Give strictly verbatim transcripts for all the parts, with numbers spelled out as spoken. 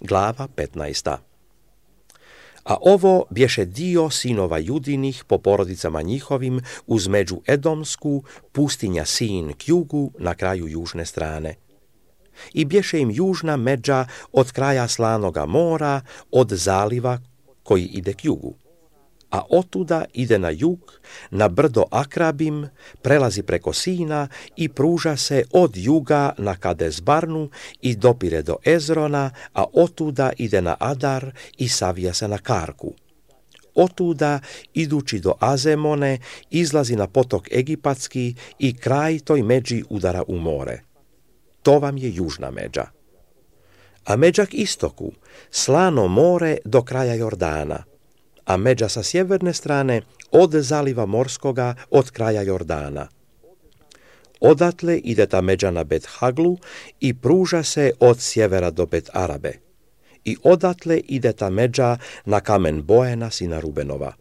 glava petnaesta. A ovo bješe dio sinova Judinih po porodicama njihovim uz među Edomsku, pustinja Sin k jugu na kraju južne strane. I bješe im južna međa od kraja Slanoga mora, od zaliva koji ide k jugu. A otuda ide na jug, na brdo Akrabim, prelazi preko Sina i pruža se od juga na Kades Barnu i dopire do Ezrona, a otuda ide na Adar i savija se na Karku. Otuda, idući do Azemone, izlazi na potok Egipatski i kraj toj međi udara u more. To vam je južna međa. A međa k istoku, Slano more do kraja Jordana, a međa sa sjeverne strane od zaliva morskoga od kraja Jordana. Odatle ide ta međa na Bet Haglu i pruža se od sjevera do Bet Arabe. I odatle ide ta međa na kamen Boena sina Rubenova.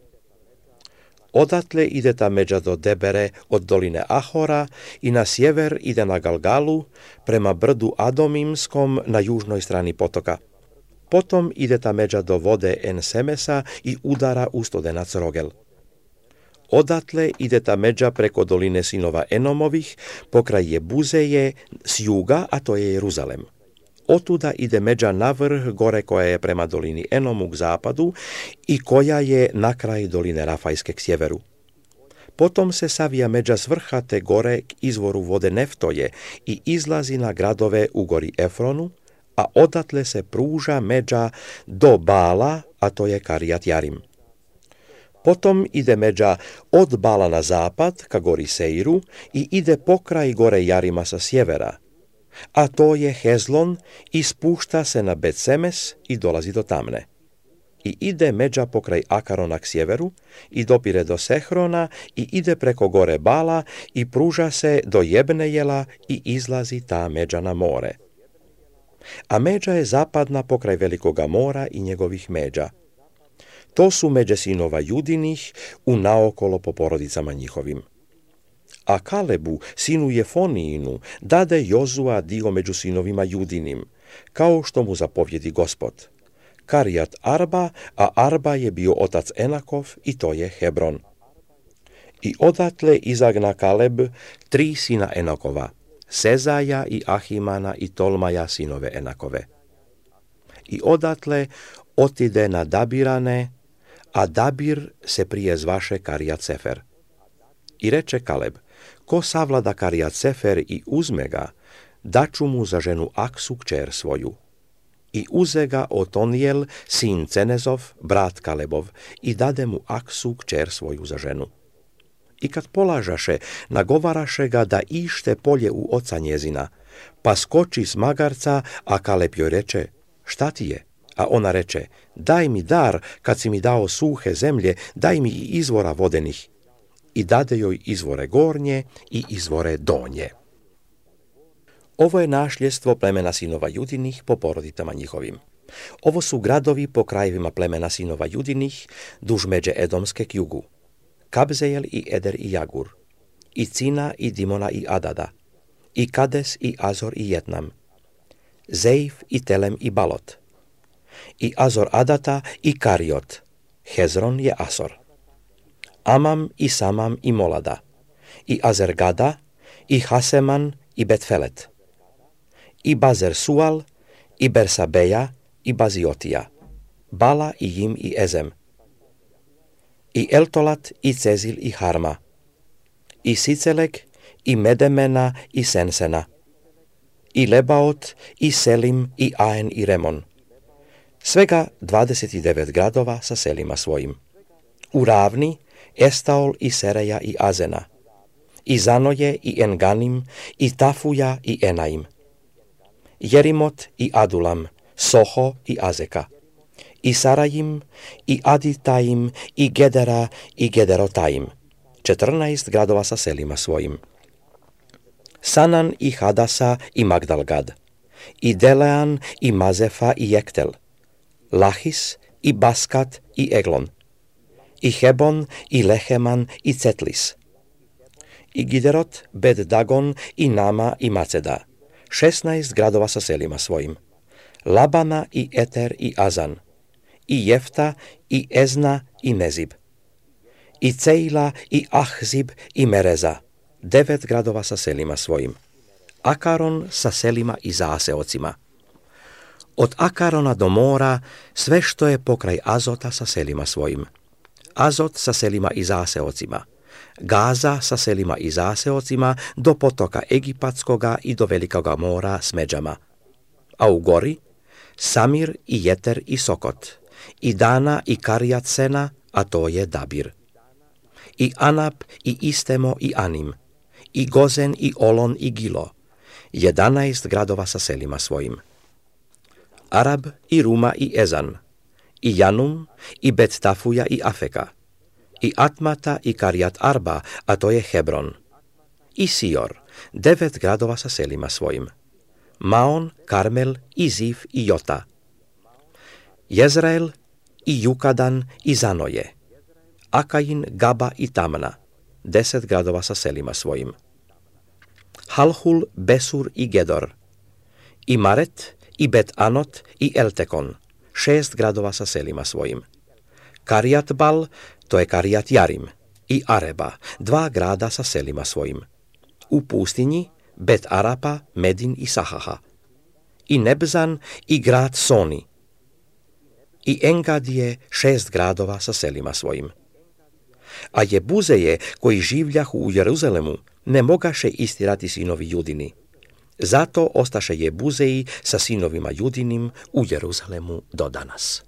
Odatle ide ta međa do Debere od doline Ahora i na sjever ide na Galgalu prema brdu Adomimskom na južnoj strani potoka. Potom ide ta međa do vode En-Semesa i udara u Studenac Rogel. Odatle ide ta međa preko doline sinova Enomovih, pokraj Jebuzeje s juga, a to je Jeruzalem. Otuda ide međa na vrh gore koja je prema dolini Enomu k zapadu i koja je na kraj doline Rafajske k sjeveru. Potom se savija međa s vrha te gore k izvoru vode Neftoje i izlazi na gradove u gori Efronu, a odatle se pruža međa do Bala, a to je Karijat Jarim. Potom ide međa od Bala na zapad ka gori Seiru i ide pokraj gore Jarima sa sjevera, a to je Hezlon i spušta se na Bet-Semes i dolazi do Tamne. I ide međa pokraj Akarona k sjeveru i dopire do Sehrona i ide preko gore Bala i pruža se do Jebnejela i izlazi ta međa na more. A međa je zapadna pokraj Velikoga mora i njegovih međa. To su međe sinova Judinih u naokolo po porodicama njihovim. A Kalebu, sinu Jefonijinu, dade Jozua dio među sinovima Judinim, kao što mu zapovjedi Gospod. Karijat Arba, a Arba je bio otac Enakov i to je Hebron. I odatle izagna Kaleb tri sina Enakova, Sezaja i Ahimana i Tolmaja sinove Enakove. I odatle otide na Dabirane, a Dabir se prije zvaše Karijat Sefer. I reče Kaleb, ko savlada Karijat Sefer i uzme ga, daću mu za ženu Aksu kćer svoju. I uze ga Otonijel, sin Cenezov, brat Kalebov, i dade mu Aksu kćer svoju za ženu. I kad polažaše, nagovaraše ga da ište polje u oca njezina, pa skoči s magarca, a Kaleb joj reče, šta ti je? A ona reče, daj mi dar, kad si mi dao suhe zemlje, daj mi i izvora vodenih. I dade joj izvore gornje i izvore donje. Ovo je našljestvo plemena sinova Judinih po porodicama njihovim. Ovo su gradovi po krajevima plemena sinova Judinih, duž međe Edomske k jugu. Kabzejel i Eder i Jagur, i Cina i Dimona i Adada, i Kades i Azor i Jetnam, Zeif i Telem i Balot, i Azor Adata i Kariot, Hezron je Asor, Amam i Samam i Molada, i Azergada, i Haseman i Betfelet, i Bazer Sual, i Bersabeja, i Baziotija, Bala i Jim i Ezem, i Eltolat i Cezil i Harma, i Sicelek, i Medemena i Sensena, i Lebaot, i Selim, i Aen i Remon. Svega dvadeset devet gradova sa selima svojim. U ravni Estaol i Sereja i Azena, i Zanoje i Enganim, i Tafuja i Enaim, Jerimot i Adulam, Soho i Azeka, i Sarajim, i Aditaim, i Gedera, i Gederotaim, četrnaest gradova sa selima svojim. Sanan i Hadasa i Magdalgad, i Delean i Mazefa i Jektel, Lahis i Baskat i Eglon, i Hebon i Leheman i Cetlis, i Giderot, Bet Dagon i Nama i Maceda, šesnaest gradova sa selima svojim. Labana i Eter i Azan, i Jefta i Ezna i Mezib, i Cejla i Ahzib i Mereza, devet gradova sa selima svojim. Akaron sa selima i zaseocima. Od Akarona do mora sve što je pokraj Azota sa selima svojim. Azot sa selima i zaseocima. Gaza sa selima i zaseocima do potoka Egipatskoga i do velikoga mora s međama. A u gori Samir i Jeter i Sokot, i Dana i Karijat Sena, a to je Dabir. I Anap i Istemo i Anim, i Gozen i Olon i Gilo, jedanaest gradova sa selima svojim. Arab i Ruma i Ezan, i Janum i Bet Tafuja i Afeka, i Atmata i Karijat Arba, a to je Hebron, i Sior, devet gradova sa selima svojim. Maon, Karmel i Zif i Jota, Jezrael i Jukadan i Zanoje, Akain, Gaba i Tamna, deset gradova sa selima svojim. Halhul, Besur i Gedor, i Maret i Bet Anot i Eltekon, šest gradova sa selima svojim. Karijat Bal, to je Karijat Jarim, i Areba, dva grada sa selima svojim. U pustinji Bet Arapa, Medin i Sahaha, i Nebzan i grad Soni, i Engadije, šest gradova sa selima svojim. A Jebuzeje, koji življahu u Jeruzalemu, ne mogaše istirati sinovi Judini. Zato ostaše Jebuzeji sa sinovima Judinim u Jeruzalemu do danas.